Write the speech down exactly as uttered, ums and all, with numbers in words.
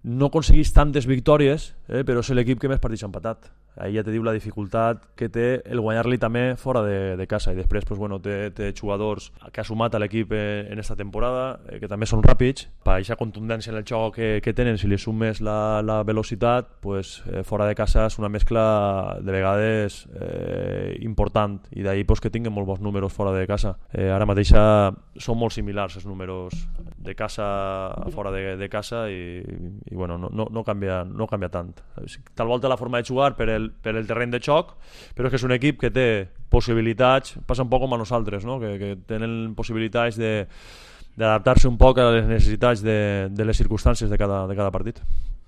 no aconseguís tantes victòries, eh, però és l'equip que més partits ha empatat. Ahí ja te diu la dificultat que té el guanyar-li també fora de, de casa, i després pues, bueno, té, té jugadors que ha sumat a l'equip en esta temporada, eh, que també són ràpids, per aquesta contundència en el joc que, que tenen, si li sumes la, la velocitat, pues, eh, fora de casa és una mescla de vegades eh, important, i d'ahir pues, que tinguen molt bons números fora de casa. Eh, ara mateix són molt similars els números de casa a fora de, de casa, i, i bueno, no, no, no, canvia, no canvia tant. Tal volta la forma de jugar per el, per el terreny de xoc, però és que és un equip que té possibilitats, passa un poc com a nosaltres, no? que, que tenen possibilitats de d'adaptar-se un poc a les necessitats de, de les circumstàncies de cada, de cada partit.